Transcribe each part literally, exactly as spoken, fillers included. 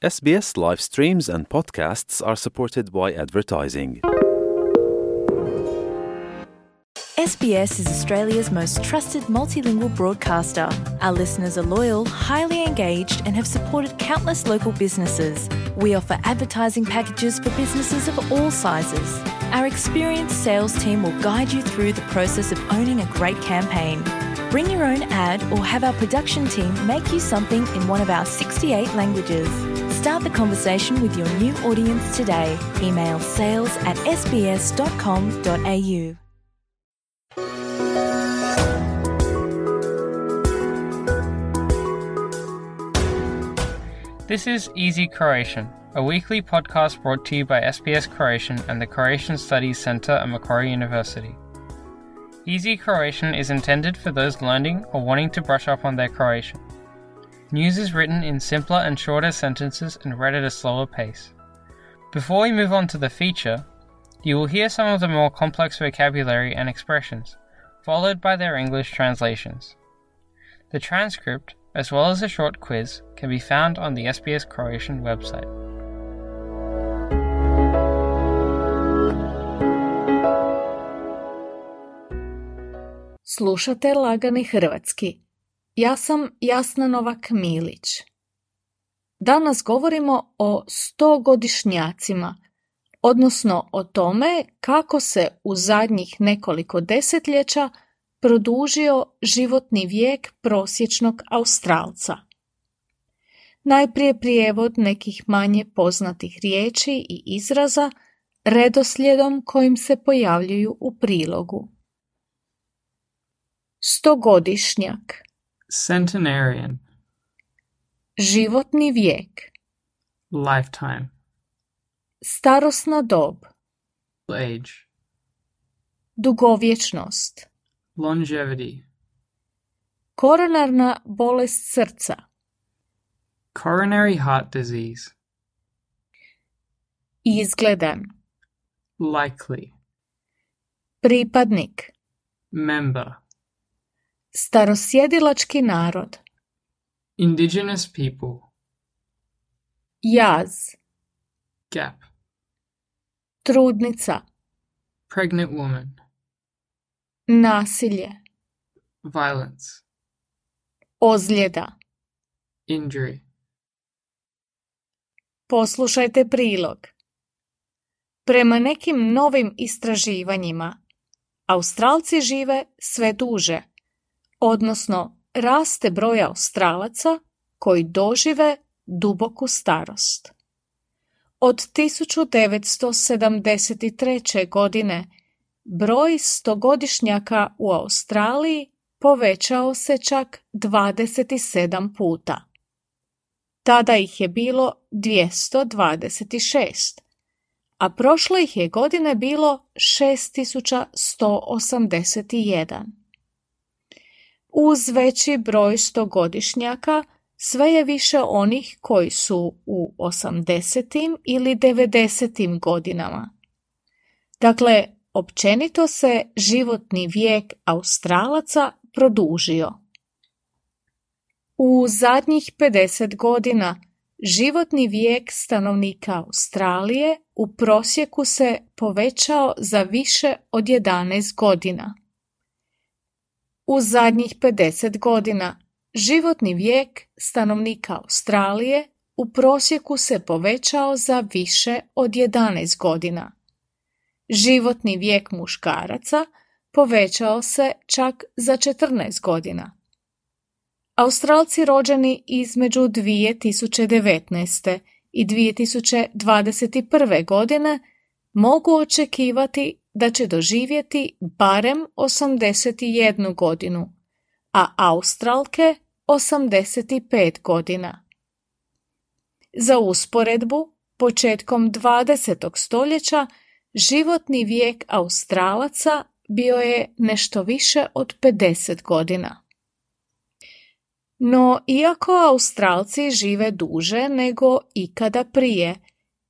S B S live streams and podcasts are supported by advertising. S B S is Australia's most trusted multilingual broadcaster. Our listeners are loyal, highly engaged, and have supported countless local businesses. We offer advertising packages for businesses of all sizes. Our experienced sales team will guide you through the process of owning a great campaign. Bring your own ad or have our production team make you something in one of our sixty-eight languages. Start the conversation with your new audience today. Email sales at s b s dot com dot a u. This is Easy Croatian, a weekly podcast brought to you by S B S Croatian and the Croatian Studies Centre at Macquarie University. Easy Croatian is intended for those learning or wanting to brush up on their Croatian. News is written in simpler and shorter sentences and read at a slower pace. Before we move on to the feature, you will hear some of the more complex vocabulary and expressions, followed by their English translations. The transcript, as well as a short quiz, can be found on the S B S Croatian website. Slušate Lagani hrvatski. Ja sam Jasna Novak-Milić. Danas govorimo o stogodišnjacima, odnosno o tome kako se u zadnjih nekoliko desetljeća produžio životni vijek prosječnog Australca. Najprije prijevod nekih manje poznatih riječi i izraza redoslijedom kojim se pojavljuju u prilogu. Stogodišnjak. Centenarian. Životni vijek. Lifetime. Starosna dob. Age. Dugovječnost. Longevity. Koronarna bolest srca. Coronary heart disease. Izgledan. Likely. Pripadnik. Member. Starosjedilački narod. Indigenous people. Jaz. Gap. Trudnica. Pregnant woman. Nasilje. Violence. Ozljeda. Injury. Poslušajte prilog. Prema nekim novim istraživanjima, Australci žive sve duže, odnosno raste broj Australaca koji dožive duboku starost. Od tisuću devetsto sedamdeset treće. godine broj stogodišnjaka u Australiji povećao se čak dvadeset sedam puta. Tada ih je bilo dvjesto dvadeset šest, a prošle ih je godine bilo šest tisuća sto osamdeset jedan. Uz veći broj stogodišnjaka sve je više onih koji su u osamdesetim ili devedesetim godinama. Dakle, općenito se životni vijek Australaca produžio. U zadnjih pedeset godina životni vijek stanovnika Australije u prosjeku se povećao za više od jedanaest godina. U zadnjih pedeset godina životni vijek stanovnika Australije u prosjeku se povećao za više od jedanaest godina. Životni vijek muškaraca povećao se čak za četrnaest godina. Australci rođeni između dvije tisuće devetnaeste. i dvije tisuće dvadeset prve. godine mogu očekivati da će doživjeti barem osamdeset jednu godinu, a Australke osamdeset pet godina. Za usporedbu, početkom dvadesetog stoljeća životni vijek Australaca bio je nešto više od pedeset godina. No, iako Australci žive duže nego ikada prije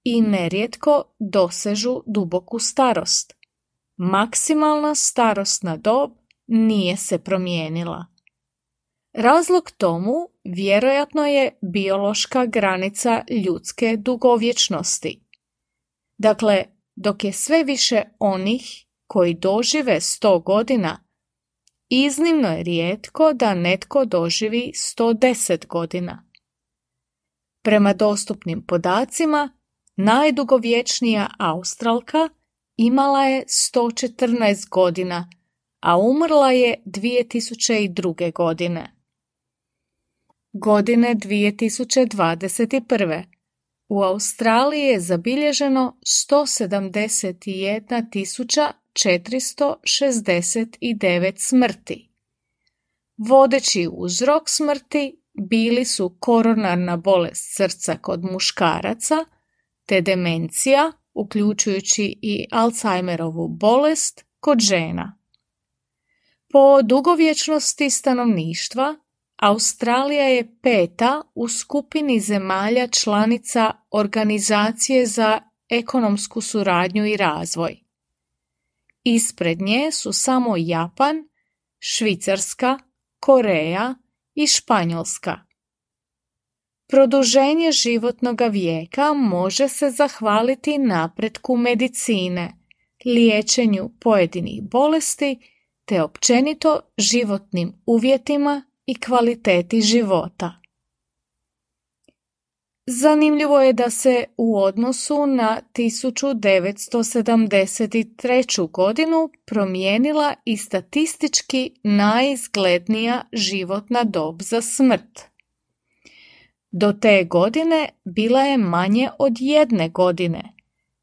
i nerijetko dosežu duboku starost, maksimalna starosna dob nije se promijenila. Razlog tomu vjerojatno je biološka granica ljudske dugovječnosti. Dakle, dok je sve više onih koji dožive sto godina, iznimno je rijetko da netko doživi sto deset godina. Prema dostupnim podacima, najdugovječnija Australka imala je sto četrnaest godina, a umrla je dvije tisuće druge. godine. Godine dvije tisuće dvadeset prve. U Australiji je zabilježeno sto sedamdeset jedna tisuća četiristo šezdeset devet smrti. Vodeći uzrok smrti bili su koronarna bolest srca kod muškaraca te demencija, uključujući i Alzheimerovu bolest kod žena. Po dugovječnosti stanovništva, Australija je peta u skupini zemalja članica Organizacije za ekonomsku suradnju i razvoj. Ispred nje su samo Japan, Švicarska, Koreja i Španjolska. Produženje životnog vijeka može se zahvaliti napretku medicine, liječenju pojedinih bolesti te općenito životnim uvjetima i kvaliteti života. Zanimljivo je da se u odnosu na tisuću devetsto sedamdeset treću. godinu promijenila i statistički najizglednija životna dob za smrt. Do te godine bila je manje od jedne godine,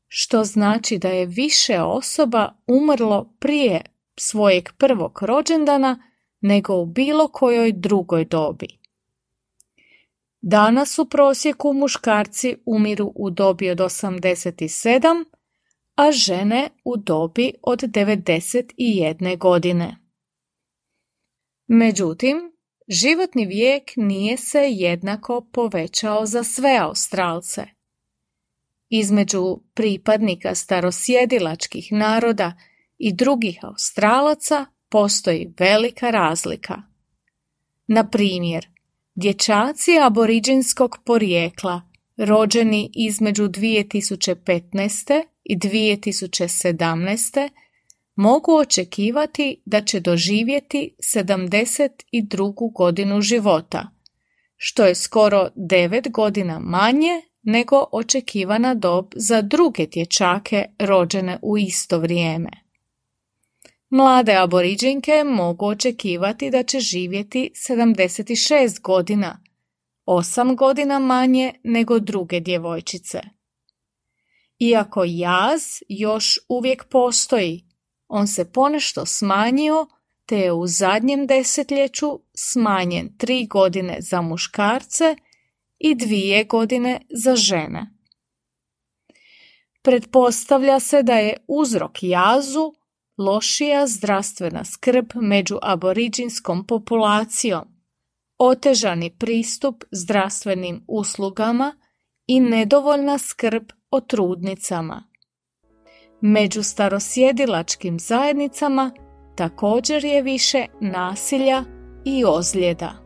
što znači da je više osoba umrlo prije svojeg prvog rođendana nego u bilo kojoj drugoj dobi. Danas u prosjeku muškarci umiru u dobi od osamdeset sedam, a žene u dobi od devedeset jedne. godine. Međutim, životni vijek nije se jednako povećao za sve Australce. Između pripadnika starosjedilačkih naroda i drugih Australaca postoji velika razlika. Na primjer, dječaci aboriđinskog porijekla rođeni između dvije tisuće petnaeste i dvije tisuće sedamnaeste mogu očekivati da će doživjeti sedamdeset drugu. godinu života, što je skoro devet godina manje nego očekivana dob za druge dječake rođene u isto vrijeme. Mlade aboriđinke mogu očekivati da će živjeti sedamdeset šest godina, osam godina manje nego druge djevojčice. Iako jaz još uvijek postoji, on se ponešto smanjio te je u zadnjem desetljeću smanjen tri godine za muškarce i dvije godine za žene. Pretpostavlja se da je uzrok jazu lošija zdravstvena skrb među aboriđinskom populacijom, otežani pristup zdravstvenim uslugama i nedovoljna skrb o trudnicama. Među starosjedilačkim zajednicama također je više nasilja i ozljeda.